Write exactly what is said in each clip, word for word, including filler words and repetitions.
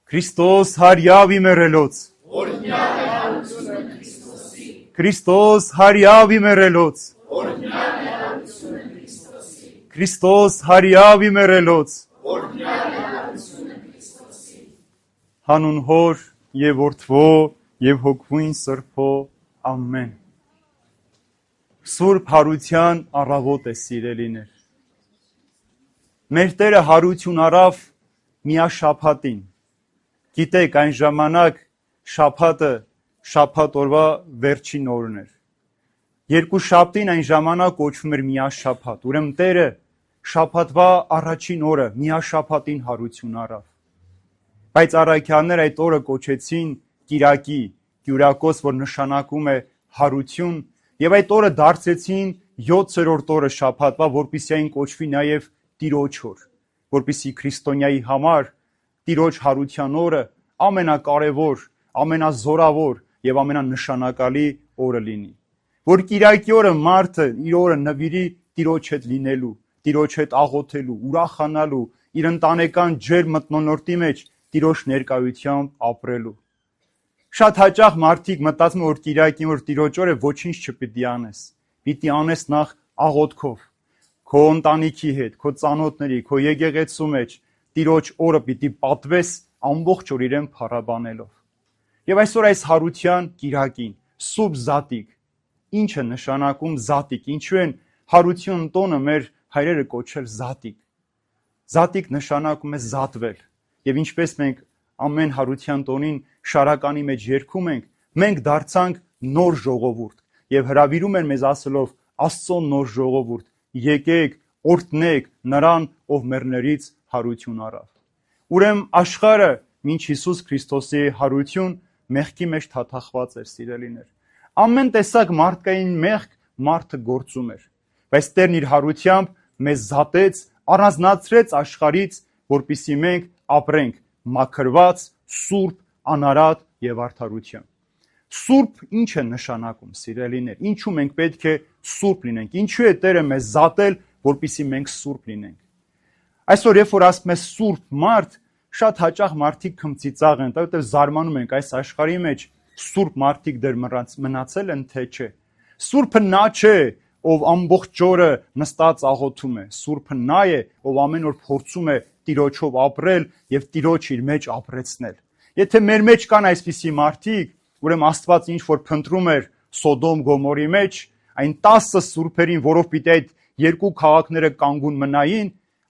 Քրիստոս հարյավ իմերելոց, օրհնյալ է հարությունը Քրիստոսի, Քրիստոս հարյավ իմերելոց, օրհնյալ է հարությունը Քրիստոսի, Քրիստոս հարյավ իմերելոց, օրհնյալ է հարությունը Քրիստոսի, հանուն Հոր եւ Որդվո եւ Հոգվույն Սրբո, ամեն։ Սուրբ հարության առավոտ է, սիրելիներ։ Մեր Տերը հարություն արավ միաշաբաթին։ Գիտեք, այն ժամանակ շաբաթը շաբաթ օրվա վերջին օրն էր։ Երկու շաբթին այն ժամանակ կոչվում էր միաշաբաթ։ Ուրեմն Տերը շաբաթվա առաջին օրը միաշաբաթին հարություն արավ։ Բայց առաքյալներ այդ օրը կոչեցին Կիրակի, Կյուրակոս, որ նշանակում է հարություն, եւ այդ օրը դարձեցին յոթերորդ օրը շաբաթվա, որպեսզի այն կոչվի նաեւ Տիրոջ օր, որպեսզի քրիստոնյայի համար Տիրոջ հարության օրը ամենակարևոր, ամենազորավոր եւ ամենանշանակալի օրը լինի։ Որ Կիրակի օրը մարդը իր օրը նվիրի Տիրոջ հետ լինելու, Տիրոջ հետ աղոթելու, ուրախանալու, իր ընտանեկան ջերմ մթնոլորտի մեջ Տիրոջ ներկայությամբ ապրելու։ Շատ հաճախ մարդիկ մտածում են, որ Կիրակին, որ Տիրոջ օրը ոչինչ չպիտի անես։ Պիտի անես նախ աղոթքով, քո ընտանիքի հետ, քո ծանոթների, քո եկեղեցու մեջ Տիրոջ օրը պիտի պատվես ամբողջ օր իրեն փառաբանելով։ Եվ այսօր այս հարության Կիրակին, Սուրբ Զատիկ, ինչ է նշանակում Զատիկ, ինչու են հարություն տոնը մեր հայրերը կոչել Զատիկ։ Զատիկ նշանակում է զատվել։ Եվ ինչպես մենք ամեն հարության տոնին շարականի մեջ երգում ենք, մենք դարձանք նոր ժողովուրդ եւ հրավիրում են մեզ ասելով Աստծո նոր ժողովուրդ, եկեք, օրհնեք նրան, ով մեռներից հարություն առավ։ Ուրեմն աշխարհը մինչ Հիսուս Քրիստոսի հարություն մեղքի մեջ թաթախված էր, սիրելիներ։ Ամեն տեսակ մարդկային մեղք մարդը գործում էր, բայց Տերն իր հարությամբ մեզ զատեց, առանձնացրեց աշխարհից, որպեսզի մենք ապրենք մաքրված, սուրբ, անարատ եւ արդարությամբ։ Սուրբ ինչ է նշանակում, սիրելիներ։ Ինչու մենք պետք է սուրբ լինենք։ Ինչու է Տերը մեզ զատել, որպեսզի մենք սուրբ լինենք։ Այսօր երբ որ ասում ես սուրբ մարդ, շատ հաճախ մարդիկ քմծիծաղ են, որովհետեւ զարմանում ենք այս աշխարհի մեջ սուրբ մարդիկ դեռ մնացել են, թե չէ։ Սուրբը նա չէ, ով ամբողջ օրը նստած աղոթում է։ Սուրբը նա է, ով ամեն օր փորձում է Տիրոջով ապրել եւ Տիրոջ իր մեջ ապրեցնել։ Եթե մեր մեջ կան այսպիսի մարդիկ, ուրեմն Աստված ինչ որ փնտրում էր Սոդոմ Գոմորի մեջ, այն տասը սուրբերին, որով պիտի այդ երկու քաղաքները կանգուն մնային,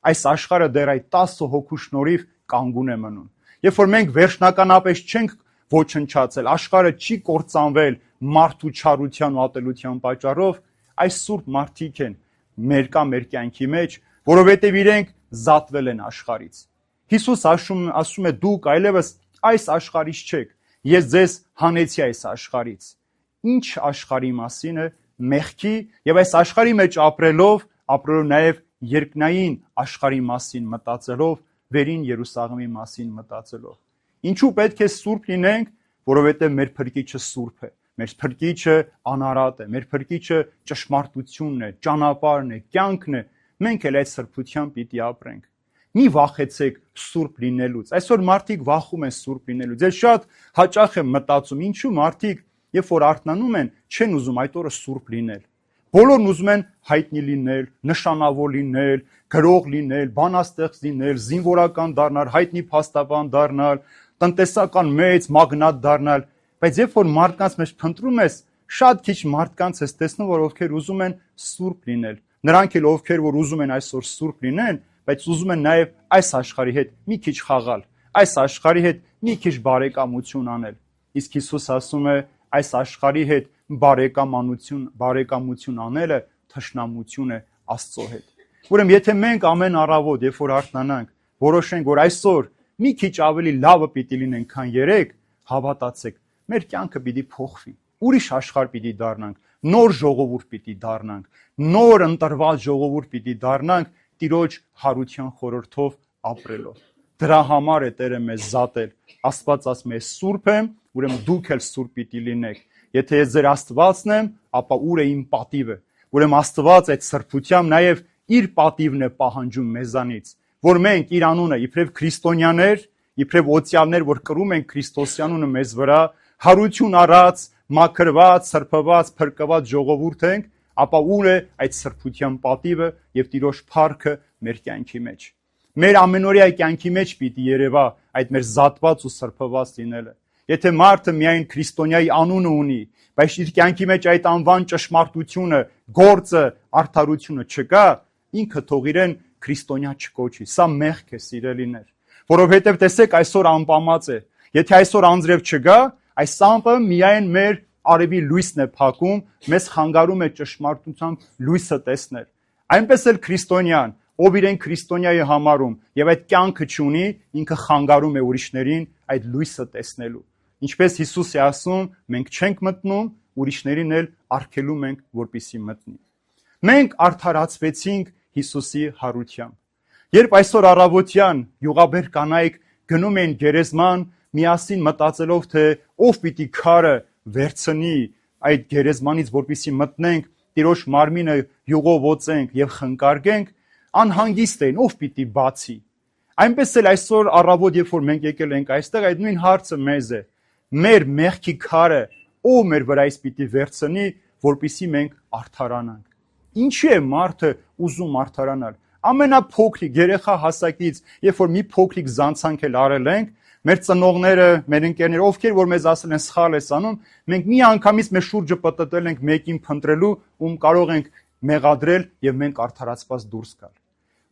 այս աշխարհը դեռ այդ տասը հոգու շնորհիվ կանգուն է մնում։ Երբ որ մենք վերջնականապես չենք ոչնչացել, աշխարհը չի կործանվել մարդու չարության ու ատելության պատճառով, այս սուրբ մարդիկ են մեր կա մեր կյանքի մեջ, որովհետև իրենք զատվել են աշխարից։ Հիսուս ասում, ասում է դուք այլևս այս աշխարհից չեք, ես ձեզ հանեցի այս աշխարից։ Ինչ աշխարհի մասին է, մեղքի եւ այս աշխարհի մեջ ապրելով, ապրելով նաեւ երկնային աշխարհի մասին մտածելով, վերին Երուսաղեմի մասին մտածելով։ Ինչու պետք է սուրբ լինենք, որովհետև մեր Փրկիչը սուրբ է, մեր Փրկիչը անարատ է, մեր Փրկիչը ճշմարտությունն է, ճանապարհն է, կյանքն է, մենք էլ այդ սրբությամբ պիտի ապրենք։ Մի վախեցեք սուրբ լինելուց։ Այսօր մարդիկ վախում են սուրբ լինելուց։ Ես շատ հաճախ եմ մտածում, ինչու մարդիկ, երբ որ արթնանում են, չեն ուզում այդ օրը սուրբ լինել։ Բոլորն ուզում են հայտնի լինել, նշանավոր լինել, գրող լինել, բանաստեղծ լինել, զինվորական դառնալ, հայտնի փաստաբան դառնալ, տնտեսական մեծ մագնատ դառնալ, բայց երբ որ մարդկանց մեջ փնտրում ես, շատ քիչ մարդկանց ես տեսնում, որ ովքեր ուզում են սուրբ լինել։ Նրանք էլ ովքեր որ ուզում են այսօր սուրբ լինեն, բայց ուզում են նաև այս աշխարհի հետ մի քիչ խաղալ, այս աշխարհի հետ մի քիչ բարեկամություն անել։ Իսկ Հիսուս ասում է, այս աշխարհի հետ բարեկամանություն, բարեկամություն անելը թշնամություն է Աստծո հետ։ Ուրեմն եթե մենք ամեն առավոտ, երբ որ արթնանանք, որոշենք, որ այսօր մի քիչ ավելի լավը պիտի լինենք, քան երեք, հավատացեք, մեր կյանքը պիտի փոխվի։ Ուրիշ աշխարհ պիտի դառնանք, նոր ժողովուրդ պիտի դառնանք, նոր ընտրված ժողովուրդ պիտի դառնանք Տիրոջ հարության խորհրդով ապրելով։ Դրա համար է Տերը մեզ զատել։ Աստված ասում է սուրբ եմ, ուրեմն դուք էլ սուրբ պիտի լինեք։ Եթե ես ձեր Աստվածն եմ, ապա ուր է իմ պատիվը։ Ուրեմն Աստված այդ սրբությամբ նաև իր պատիվն է պահանջում մեզանից, որ մենք իր անունը իբրև քրիստոնյաներ, իբրև օծյալներ, որ կրում են Քրիստոսյանունը մեզ վրա, հարություն առած, մաքրված, սրբված, փրկված ժողովուրդ ենք, ապա ուր է այդ սրբության պատիվը եւ Տիրոջ փառքը մեր կյանքի մեջ։ Մեր ամենօրյա կյանքի մեջ պիտի երևա այդ մեր զատված ու սրբված լինելը։ Եթե մարդը միայն քրիստոնյայի անունը ունի, բայց իր կյանքի մեջ այդ անվան ճշմարտությունը, գործը, արդարությունը չկա, ինքը թող իրեն քրիստոնյա չկոչի։ Սա մեղք է, սիրելիներ, որովհետև տեսեք այսօր անպամած է։ Եթե այսօր անձրև չգա, այս ամպը միայն մեր արևի լույսն է փակում, մեզ խանգարում է ճշմարտությամբ լույսը տեսնել։ Այնպես էլ քրիստոնյան, ով իրեն քրիստոնյա է համարում եւ այդ կյանքը չունի, ինքը խանգարում է ուրիշներին այդ լույսը տեսնելու։ Ինչպես Հիսուս է ասում, մենք չենք մտնում, ուրիշներին էլ արգելում ենք, որպեսզի մտնի։ Մենք արդարացվեցինք Հիսուսի հարությամբ։ Երբ այսօր առավոտյան յուղաբեր կանայք գնում են գերեզման, միասին մտածելով, թե ով պիտի քարը վերցնի այդ գերեզմանից, որպեսզի մտնենք, Տիրոջ մարմինը յուղով ոցենք եւ խնկարգենք, անհանգիստ են, ով պիտի բացի։ Այնպես էլ այսօր առավոտ, երբ որ մենք եկել ենք այստեղ, այդ նույն հարցը մեզ է։ Մեր մեղքի քարը ով մեր վրայից պիտի վերցնի, որպեսզի մենք արդարանանք։ Ինչի է մարդը ուզում արդարանալ։ Ամենափոքրիկ երեխա հասակից, երբ որ մի փոքրիկ զանցանք էլ արել ենք, մեր ծնողները, մեր ընկերները, ովքեր որ մեզ ասել են սխալ ես անում, մենք մի անգամից մեր շուրջը պտտել ենք մեկին փնտրելու, ում կարող ենք մեղադրել եւ մենք արդարացված դուրս գալ։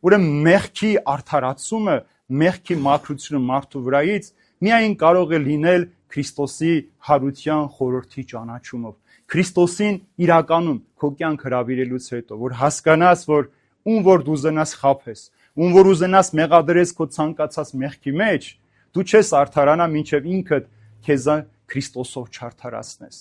Ուրեմն մեղքի արդարացումը, մեղքի մաքրությունը մարդու վրայից միայն կարող է լինել Քրիստոսի հարության խորհրդի ճանաչումով։ Քրիստոսին իրականում քո կյանք հրավիրելուց հետո, որ հասկանաս, որ ում որ դու ուզենաս խաբես, ում որ ուզենաս մեղադրես քո ցանկացած մեղքի մեջ, դու չես արդարանա, մինչև ինքդ քեզ Քրիստոսով չարդարացնես։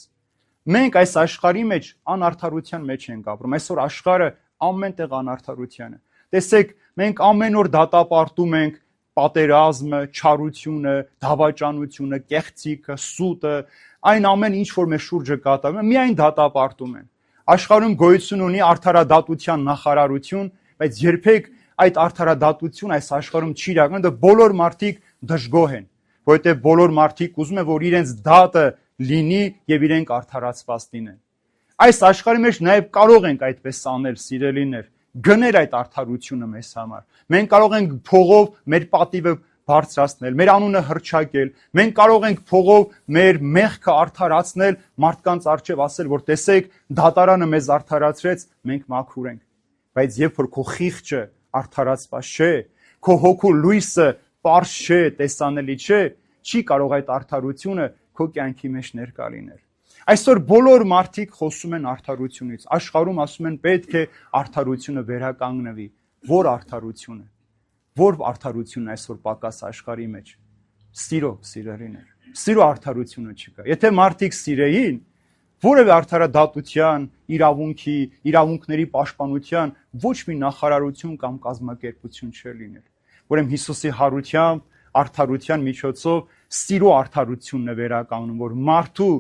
Մենք այս աշխարհի մեջ անարդարության մեջ ենք ապրում։ Այսօր աշխարհը ամենտեղ անարդարության է։ Տեսեք, մենք ամեն օր դատապարտում ենք պատերազմը, չարությունը, դավաճանությունը, կեղծիքը, սուտը, այն ամեն ինչ որ մեր շուրջը կատարվում է, միայն դատապարտում են։ Աշխարհում գոյություն ունի արդարադատության նախարարություն, բայց երբեք այդ արդարադատություն այս աշխարհում չի իրական, դա բոլոր մարդիկ դժգոհ են, որովհետև բոլոր մարդիկ ուզում են, որ իրենց դատը լինի եւ իրենք արդարացված լինեն։ Այս աշխարհի մեջ նաեւ կարող ենք այդպես անել, սիրելիներ, գնել այդ արդարությունը մեզ համար։ Մենք կարող ենք փողով մեր պատիվը բարձրացնել, մեր անունը հռչակել, մենք կարող ենք փողով մեր մեղքը արդարացնել, մարդկանց առջև ասել, որ տեսեք, դատարանը մեզ արդարացրեց, մենք մաքուր ենք։ Բայց երբ որ քո խիղճը արդարացված չէ, քո հոգու լույսը պարզ չէ, տեսանելի չէ, չի կարող այդ արդարությունը քո կյանքի մեջ ներկա լինել։ Այսօր բոլոր մարդիկ խոսում են արդարությունից, աշխարհում ասում են պետք է արդարությունը վերականգնվի։ Որ արդարությունը, որ արդարությունն այսօր պակաս աշխարհի մեջ։ Սիրո, սիրելիներ, սիրո արդարությունը չկա։ Եթե մարդիկ սիրեին, որևէ արդարադատության, իրավունքի, իրավունքների պաշտպանության ոչ մի նախարարություն կամ կազմակերպություն չէր լինել։ Ուրեմն Հիսուսի հարությամբ, արդարության միջոցով սիրո արդարությունն է վերականգնում, որ մարդու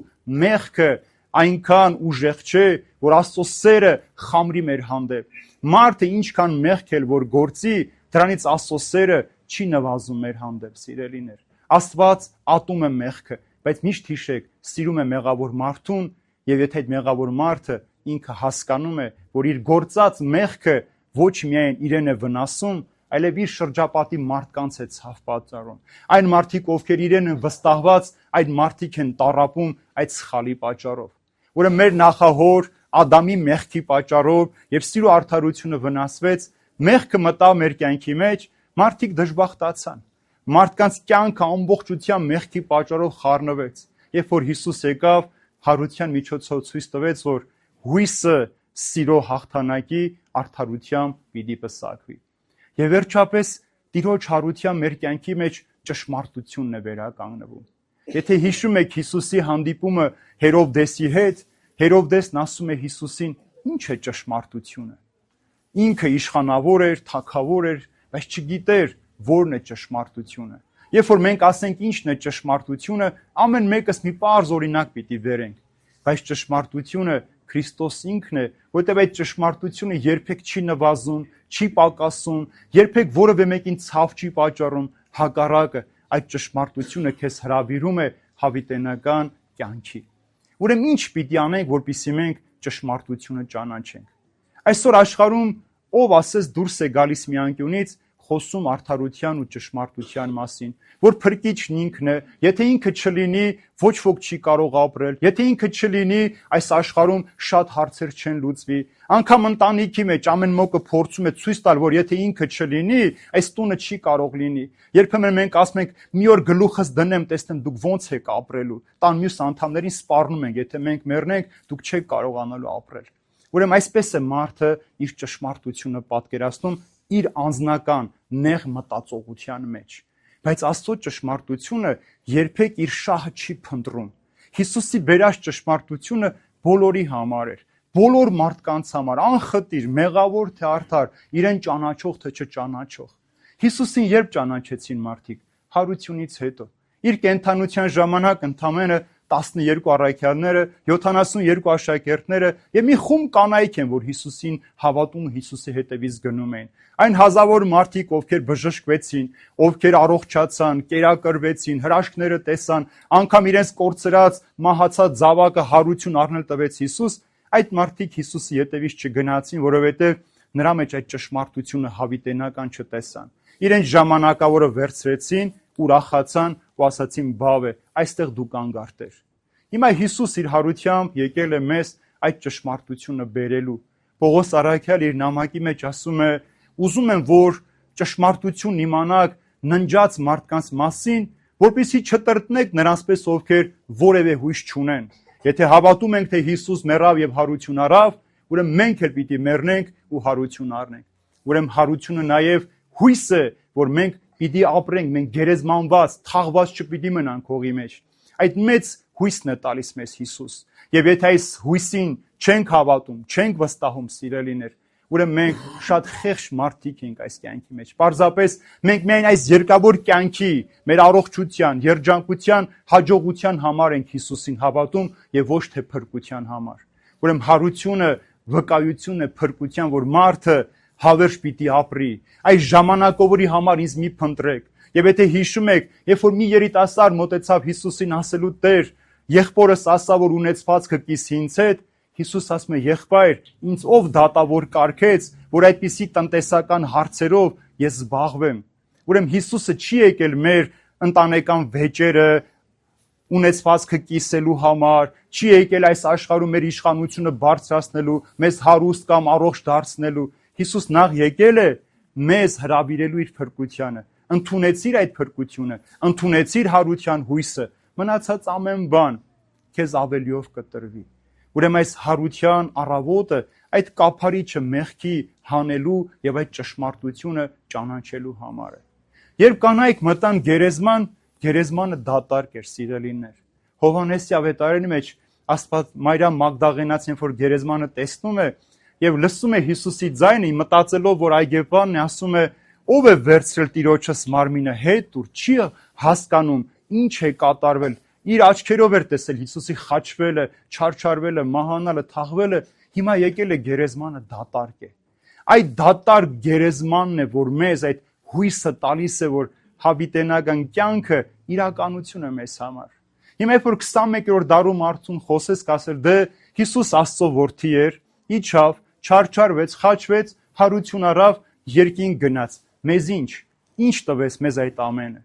մեղքը այնքան ուժեղ չէ, որ Աստծո սերը խամրի մեր հանդեպ։ Մարդը ինչքան մեղք էլ որ գործի, դրանից Աստծո սերը չի նվազում մեր հանդեպ, սիրելիներ։ Աստված ատում է մեղքը, բայց միշտ հիշեք, սիրում է մեղավոր մարդուն, եւ եթե այդ մեղավոր մարդը ինքը հասկանում է, որ իր գործած մեղքը ոչ միայն իրեն է վնասում, այլև իր շրջապատի մարդկանց է ցավ պատճառում։ Այն մարդիկ, ովքեր իրեն են վստահված, այդ մարդիկ են տառապում այդ սխալի պատճառով։ Ուրեմն մեր նախահոր Ադամի մեղքի պատճառով եւ սիրո արդարությունը վնասվեց, մեղքը մտավ մեր կյանքի մեջ, մարդիկ դժբախտացան։ Մարդկանց կյանքը ամբողջությամբ մեղքի պատճառով խառնվեց։ Երբ որ Հիսուս եկավ, հարության միջոցով ցույց տվեց, որ հույսը սիրո հաղթանակի արդարությամբ պիտի պսակվի։ Եվ վերջապես Տիրոջ հարության մեր կյանքի մեջ ճշմարտությունն է վերականգնվում։ Եթե հիշում եք Հիսուսի հանդիպումը Հերովդեսի հետ, Հերովդեսն ասում է Հիսուսին. «Ինչ է ճշմարտությունը»։ Ինքը իշխանավոր էր, թագավոր էր, բայց չգիտեր որն է ճշմարտությունը։ Երբ որ մենք ասենք ինչն է ճշմարտությունը, ամեն մեկս մի պարզ օրինակ պիտի վերենք, բայց ճշմարտությունը Քրիստոս ինքն է, որտեղ այդ ճշմարտությունը երբեք չի նվազում, չի պակասում, երբեք որևէ մեկին ցավ չի պատճառում, հակառակը, այդ ճշմարտությունը քեզ հրավիրում է հավիտենական կյանքի։ Ուրեմն ինչ պիտի անենք, որպեսզի մենք ճշմարտությունը ճանաչենք։ Այսօր աշխարհում ով ասես դուրս է գալիս մի անկյունից, խոսում արդարության ու ճշմարտության մասին, որ փրկիչն ինքն է, եթե ինքը չլինի, ոչ ոք չի կարող ապրել, եթե ինքը չլինի, այս աշխարհում շատ հարցեր չեն լուծվի, անգամ ընտանիքի մեջ ամեն մեկը փորձում է ցույց տալ, որ եթե ինքը չլինի, այս տունը չի կարող լինի։ Երբեմն մենք ասում ենք՝ մի օր գլուխս դնեմ, տեսնեմ դուք ոնց եք ապրելու, տան մյուս անդամներին սպառնում ենք, եթե մենք մեռնենք, դուք չեք կարողանալու ապրել։ Ուրեմն այսպես է մարդը իր ճշմարտությունը պատկերացնում իր անձնական նեղ մտածողության մեջ, բայց Աստծո ճշմարտությունը երբեք իր շահը չի փնտրում։ Հիսուսի բերած ճշմարտությունը բոլորի համար էր, բոլոր մարդկանց համար, անխտիր, մեղավոր թե արդար, իրեն ճանաչող թե չճանաչող։ Հիսուսին երբ ճանաչեցին մարդիկ, հարությունից հետո։ Իր կենդանության ժամանակ ընդամենը տասնյոթ առաքյալները, յոթանասունյոթ աշակերտները եւ մի խումբ կանայք են, որ Հիսուսին հավատում ու Հիսուսի հետևից գնում էին։ Այն հազարավոր մարդիկ, ովքեր բժշկվեցին, ովքեր առողջացան, կերակրվեցին, հրաշքները տեսան, անգամ իրենց կորցրած, մահացած զավակը հարություն առնել տվեց Հիսուս, այդ մարդիկ Հիսուսի հետևից չգնացին, որովհետեւ նրա մեջ այդ ճշմարտությունը հավիտենական չտեսան։ Իրենց ժամանակավորը վերցրեցին, ուրախացան ու ասացին՝ «Բավ է, այստեղ դու կանգ արտեր»։ Հիմա Հիսուս իր հարությամբ եկել է մեզ այդ ճշմարտությունը բերելու։ Պողոս առաքյալ իր նամակի մեջ ասում է. «Ուզում եմ, որ ճշմարտությունն իմանաք ննջած մարդկանց մասին, որպեսզի չտրտնեք նրանցպես, ովքեր որևէ հույս չունեն։ Եթե հավատում ենք, թե Հիսուս մեռավ եւ հարություն առավ, ուրեմն մենք էլ պիտի մեռնենք ու հարություն առնենք։ Ուրեմն հարությունը նաեւ հույս է, որ մենք պիտի ապրենք, մենք գերեզմանված, թաղված չպիտի մնանք հողի մեջ։ Այդ մեծ հույսն է տալիս մեզ Հիսուս։ Եվ եթե այս հույսին չենք հավատում, չենք վստահում, սիրելիներ, ուրեմն մենք շատ խեղճ մարդիկ ենք այս կյանքի մեջ։ Պարզապես մենք միայն այս երկավոր կյանքի, մեր առողջության, երջանկության, հաջողության համար ենք Հիսուսին հավատում եւ ոչ թե փրկության համար։ Ուրեմն հարությունը վկայություն է փրկության, որ մարդը հավերժ պիտի ապրի։ Այս ժամանակավորի համար ինձ մի փնտրեք։ Եվ եթե հիշում եք, երբ որ մի երիտասարդ մոտեցավ Հիսուսին ասելու՝ Տեր, եղբորս ասա, որ ունեցվածքը կիսի ինձ հետ, Հիսուս ասում է՝ եղբայր, ինձ ով դատավոր կարգեց, որ այդպիսի տնտեսական հարցերով ես զբաղվեմ։ Ուրեմն Հիսուսը չի եկել մեր ընտանեկան վեճերը ունեցվածքը կիսելու համար, չի եկել այս աշխարհում մեր իշխանությունը բարձրացնելու, մեզ հարուստ կամ առողջ դարձնելու։ Հիսուս նախ եկել է մեզ հրավիրելու իր փրկությանը։ Ընդունեցիր այդ փրկությունը, ընդունեցիր հարության հույսը, մնացած ամեն բան քեզ ավելիով կտրվի։ Ուրեմն այս հարության առավոտը այդ կափարիչը մեղքի հանելու եւ այդ ճշմարտությունը ճանաչելու համար է։ Երբ կանայք մտան գերեզման, գերեզմանը դատարկ էր, սիրելիներ։ Հովհաննեսի ավետարանի մեջ Աստված Մարիամ Մագդաղենացին, որ գերեզմանը տեսնում է եւ լսում է Հիսուսի ձայնը, մտածելով, որ այգեպանն է, ասում է. «Ով է վերցրել Տիրոջս մարմինը հետ, ուր չի հասկանում ինչ է կատարվել»։ Իր աչքերով էր տեսել Հիսուսի խաչվելը, չարչարվելը, մահանալը, թաղվելը, հիմա եկել է գերեզմանը դատարկ է։ Այդ դատարկ գերեզմանն է, որ մեզ այդ հույսը տալիս է, որ հավիտենական կյանքը իրականություն է մեզ համար։ Հիմա երբ որ քսանմեկերորդ դարում արդյուն խոսես, կասել դե Հիսուս Աստծո որդի էր, իջավ, չարչարվեց, խաչվեց, հարություն առավ, երկինք գնաց։ Մեզ ինչ, ինչ տվեց մեզ այդ ամենը։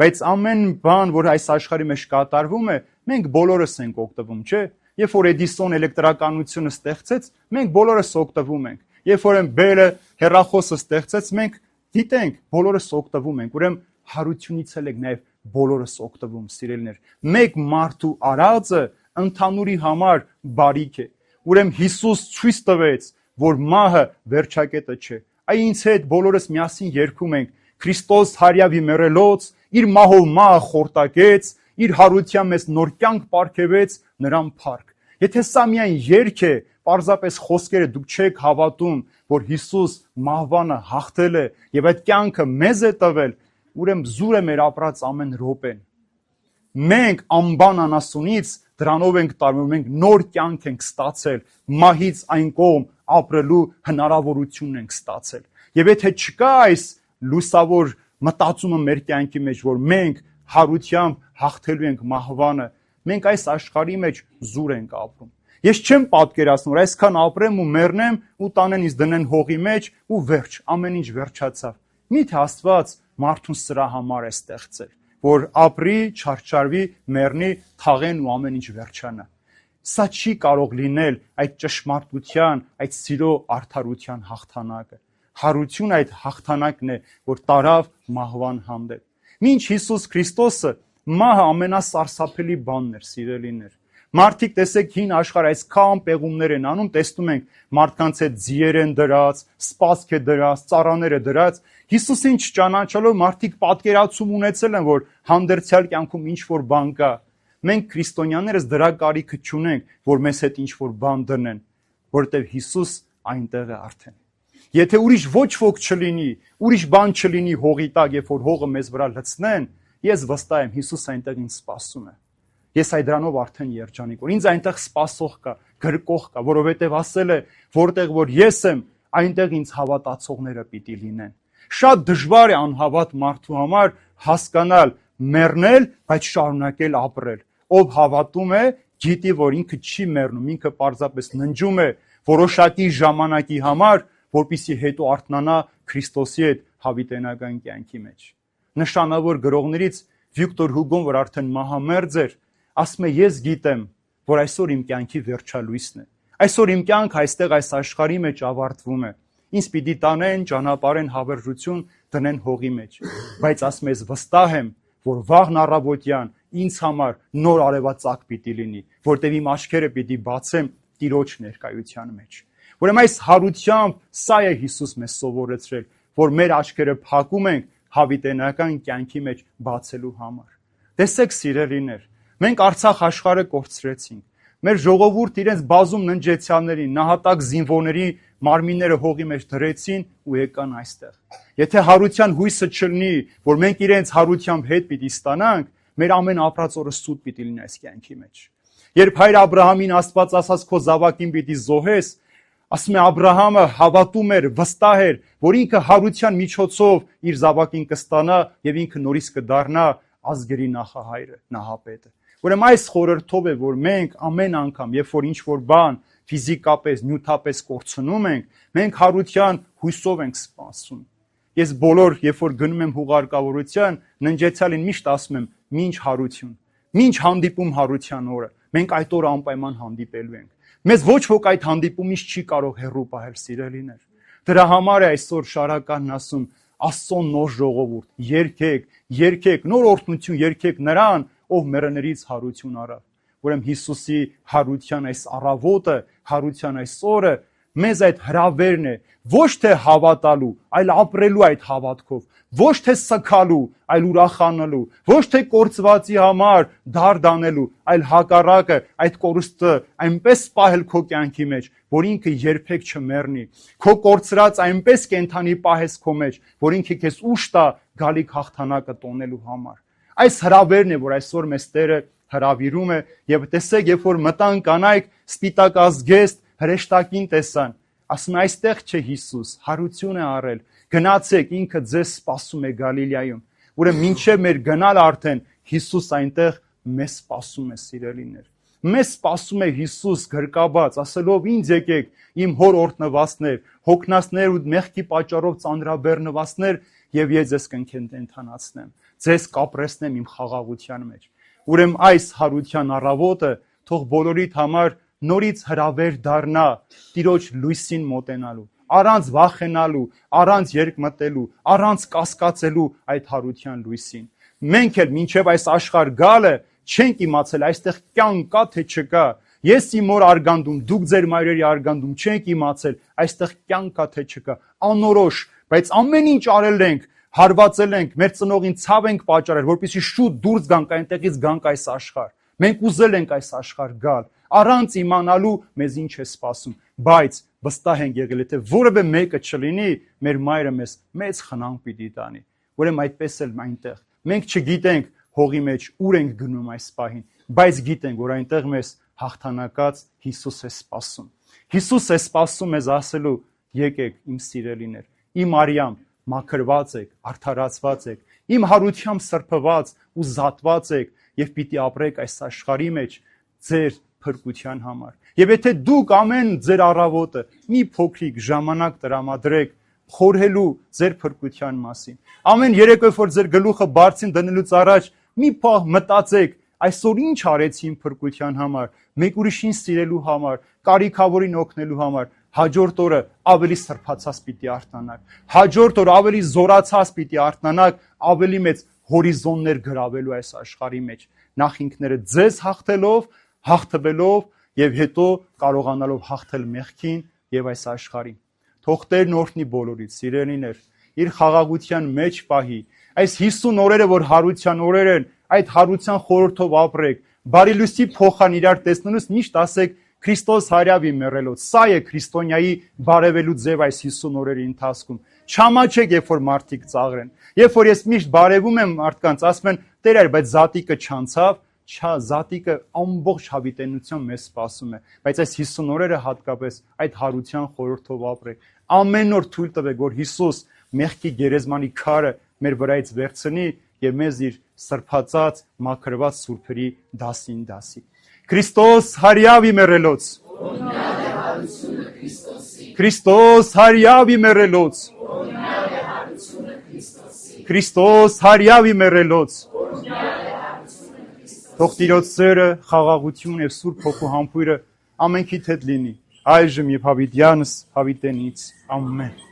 Բայց ամեն բան, որ այս աշխարհի մեջ կատարվում է, մենք բոլորս ենք օգտվում, չէ՞։ Երբ որ Էդիսոն էլեկտրականությունը ստեղծեց, մենք բոլորս օգտվում ենք։ Երբ որ Բելը հեռախոսը ստեղծեց, մենք գիտենք, բոլորս օգտվում ենք։ Ուրեմն հարությունից էլ ենք նաև բոլորս օգտվում, սիրելիներ։ Մեկ մարդու արածը ընդհանուրի համար բարիք է։ Ուրեմն Հիսուս ցույց տվեց, որ մահը վերջակետը չէ։ Այ ինձ հետ բոլորս միասին երգում ենք. Քրիստոս հարյավի մեռելոց, իր մահով մահը խորտակեց, իր հարության մեզ նոր կյանք պարգևեց, նրան փառք։ Եթե սա միայն երգ է, պարզապես խոսքերը, դուք չեք հավատում, որ Հիսուս մահվանը հաղթել է եւ այդ կյանքը մեզ է տվել, ուրեմն զուր է մեր ապրած ամեն րոպեն։ Մենք անբան անասունից դրանով ենք տարվում, մենք նոր կյանք ենք ստացել, մահից այն կողմ ապրելու հնարավորություն ենք ստացել։ Եվ եթե չկա այս լուսավոր մտածումը մեր կյանքի մեջ, որ մենք հարությամբ հաղթելու ենք մահվանը, մենք այս աշխարհի մեջ զուր ենք ապրում։ Ես չեմ պատկերացնում, որ այսքան ապրեմ ու մեռնեմ ու տանեն ինձ դնեն հողի մեջ ու վերջ, ամեն ինչ վերջացավ։ Միթե Աստված մարդուն սրա համար է ստեղծել, որ ապրի, չարչարվի, մեռնի, թաղեն ու ամեն ինչ վերջանա։ Սա չի կարող լինել այդ ճշմարտության, այդ սիրո արդարության հաղթանակը։ Հարություն այդ հաղթանակն է, որ տարավ մահվան հանդեպ։ Մինչ Հիսուս Քրիստոսը մահը ամենասարսափելի բանն էր, սիրելիներ։ Մարդիկ տեսեք հին աշխարհ այսքան պեղումներ են անում, տեսնում ենք մարդկանց հետ ձիեր են դրած, սպասք է դրած, ծառաներ է դրած։ Հիսուսին չճանաչելով մարդիկ պատկերացում ունեցել են, որ հանդերձյալ կյանքում ինչ որ բան կա։ Մենք քրիստոնյաներս դրա կարիքը չունենք, որ մեզ հետ ինչ որ բան դնեն, որովհետև Հիսուս այնտեղ է արդեն։ Եթե ուրիշ ոչ ոք չլինի, ուրիշ բան չլինի հողի տակ, երբ որ հողը մեզ վրա լցնեն, ես վստահ եմ Հիսուս այնտեղ ինձ սպասում է։ Ես այդ դրանով արդեն երջանիկ, որ ինձ այնտեղ սպասող կա, գրկող կա, որովհետև ասել է, որտեղ որ ես եմ, այնտեղ ինձ հավատացողները պիտի լինեն։ Շատ դժվար է անհավատ մարդու համար հասկանալ, մեռնել, բայց շարունակել ապրել։ Ով հավատում է, գիտի, որ ինքը չի մեռնում, ինքը պարզապես ննջում է որոշակի ժամանակի համար, որպեսզի հետո արթնանա Քրիստոսի հետ հավիտենական կյանքի մեջ։ Նշանավոր գրողներից Վիկտոր Հուգոն, որ արդեն մահամերձ էր, ասում է, ես գիտեմ, որ այսօր իմ կյանքի վերջալույսն է։ Այսօր իմ կյանքը այստեղ այս աշխարհի մեջ ավարտվում է։ Ինձ պիտի տանեն, ճանապարհեն հավերժություն դնեն հողի մեջ։ Բայց ասում ես վստահ եմ, որ վաղն առավոտյան ինձ համար նոր արևածագ պիտի լինի, որտեղ իմ աչքերը պիտի բացեմ Տիրոջ ներկայության մեջ։ Ուրեմն այս հարությամբ սա է Հիսուս մեզ սովորեցրել, որ մեր աչքերը փակում ենք հավիտենական կյանքի մեջ բացելու համար։ Տեսեք սիրելիներ, մենք Արցախ աշխարհը կորցրեցինք։ Մեր ժողովուրդ իրենց բազում ննջեցյալների, նահատակ զինվորների մարմինները հողի մեջ դրեցին ու եկան այստեղ։ Եթե հարության հույսը չլինի, որ մենք իրենց հարությամբ հետ պիտի ստանանք, մեր ամեն ապրած օրը սուտ պիտի լինի այս կյանքի մեջ։ Երբ հայր Աբրահամին Աստված ասաց քո զավակին պիտի զոհես, ասում է Աբրահամը հավատում էր, վստահ էր, որ ինքը հարության միջոցով իր զավակին կստանա եւ ինքը նորից կդառնա ազգերի նախահայրը, նահապետը։ Ուրեմն այս խորհրդով է, որ մենք ամեն անգամ, երբ որ ինչ-որ բան ֆիզիկապես, նյութապես կորցնում ենք, մենք հարության հույսով ենք սպասում։ Ես բոլոր, երբ որ գնում եմ հուղարկավորության, ննջեցյալին միշտ ասում եմ՝ «Մինչ հարություն, մինչ հանդիպում հարության օրը, մենք այդ օրը անպայման հանդիպելու ենք»։ Մեզ ոչ ոք այդ հանդիպումից չի կարող հեռու պահել, սիրելիներ։ Դրա համար է այսօր շարականն ասում՝ Աստծո նոր ժողովուրդ, երգեք, երգեք, նոր օրհնություն երգեք նրան, ով մեռներից հարություն առավ։ Ուրեմն Հիսուսի հարության այս առավոտը, հարության այս օրը մեզ այդ հրավերն է, ոչ թե հավատալու, այլ ապրելու այդ հավատքով, ոչ թե սգալու, այլ ուրախանալու, ոչ թե կորցվածի համար դարդանելու, այլ հակառակը այդ կորուստը այնպես պահել քո կյանքի մեջ, որ ինքը երբեք չմեռնի, քո կորցրած այնպես կենթանի պահես քո մեջ, որ ինքը քեզ ուժ տա գալիք հաղթանակը տոնելու համար։ Այս հրավերն է, որ այսօր մեզ Տերը հրավիրում է, եւ տեսեք, երբ որ մտան կանայք սպիտակ ազգեստ հրեշտակին տեսան, ասում է այստեղ չէ Հիսուս, հարություն է առել, գնացեք, ինքը ձեզ սպասում է Գալիլեայում։ Ուրեմն մինչև մեր գնալ արդեն Հիսուս այնտեղ մեզ սպասում է, սիրելիներ։ Մեզ սպասում է Հիսուս գրկաբաց, ասելով ինձ եկեք, իմ հոր օրհնվածներ, հոգնածներ ու մեղքի պատճառով ծանրաբեռնվածներ, եւ ես ձեզ կընկենթանացնեմ, ձեզ կապրեսնեմ իմ խաղաղության մեջ։ Ուրեմն այս հարության առավոտը թող բոլորիդ համար նորից հրավեր դառնա Տիրոջ լույսին մոտենալու, առանց վախենալու, առանց երկմտելու, առանց կասկածելու այդ հարության լույսին։ Մենք էլ մինչև այս աշխարհ գալը չենք իմացել այստեղ կյանք կա թե չկա։ Ես իմ մոր արգանդում, դուք ձեր մայրերի արգանդում չենք իմացել այստեղ կյանք կա թե չկա։ Անորոշ, բայց ամեն ինչ արել ենք, հարվածել ենք, մեր ծնողին ցավ ենք պատճառել, որպեսզի շուտ դուրս գանք այնտեղից, գանք այս աշխարհ։ Մենք ուզել ենք այս աշխարհ գալ, առանց իմանալու մեզ ինչ է սպասում, բայց վստահ ենք եղել, եթե որևէ մեկը չլինի, մեր մայրը մեզ մեծ խնամ պիտի տանի։ Ուրեմն այդպես էլ այնտեղ մենք չգիտենք հողի մեջ ուր ենք գնում այս պահին, բայց գիտենք, որ այնտեղ մեզ հաղթանակած Հիսուս է սպասում։ Հիսուս է սպասում մեզ ասելու. եկեք իմ սիրելիներ, իմ արյամբ, մաքրված եք, արդարացված եք, իմ հարությամբ սրբված ու զատված եք եւ պիտի ապրեք այս աշխարհի մեջ ձեր փրկության համար։ Եվ եթե դուք ամեն ձեր առավոտը մի փոքրիկ ժամանակ տրամադրեք խորհելու ձեր փրկության մասին, ամեն երեկո որ ձեր գլուխը բարձին դնելուց առաջ մի պահ մտածեք, այսօր ինչ արեցի իմ փրկության համար, մեկ ուրիշին սիրելու համար, կարիքավորին օգնելու համար, հաջորդ օրը ավելի սրբացած պիտի արթնանաք, հաջորդ օրը ավելի զորացած պիտի արթնանաք, ավելի մեծ հորիզոններ գրավելու այս աշխարհի մեջ, նախ ինքներդ ձեզ հաղթելով, հաղթվելով եւ հետո կարողանալով հաղթել մեղքին եւ այս աշխարհին։ Թող Տերն օրհնի բոլորից, սիրելիներ, իր խաղաղության մեջ պահի, այս հիսուն օրերը, որ հարության օրեր են, այդ հարության խորհրդով ապրեք, բարի լույսի փոխան իրար տեսնելուց միշտ ասեք Քրիստոս հարյավի մեռելոց, սա է քրիստոնյայի բարևելու ձև այս հիսուն օրերի ընթացքում։ Չամաչեք, երբ որ մարդիկ ծաղրեն, երբ որ ես միշտ բարևում եմ մարդկանց, ասում են Տեր այր, բայց զատիկը չանցավ, չա զատիկը ամբողջ հավիտենությամբ մեզ սպասում է, բայց այս հիսուն օրերը հատկապես այդ հարության խորհրդով ապրեք։ Ամեն օր թույլ տվեք, որ Հիսուս մեղքի գերեզմանի քարը մեր վրայից վերցնի եւ մեզ իր սրբացած, մաքրված սուրբերի դասին դասի։ Քրիստոս հարյավի մեռելոց։ Քրիստոս հարյավի մեռելոց։ Քրիստոս հարյավի մեռելոց։ Թող Տիրոջ սերը, խաղաղություն եւ Սուրբ Հոգու համբույրը ամենքիդ հետ լինի, այժմ եւ հավիտյանս հավիտենից։ Ամեն։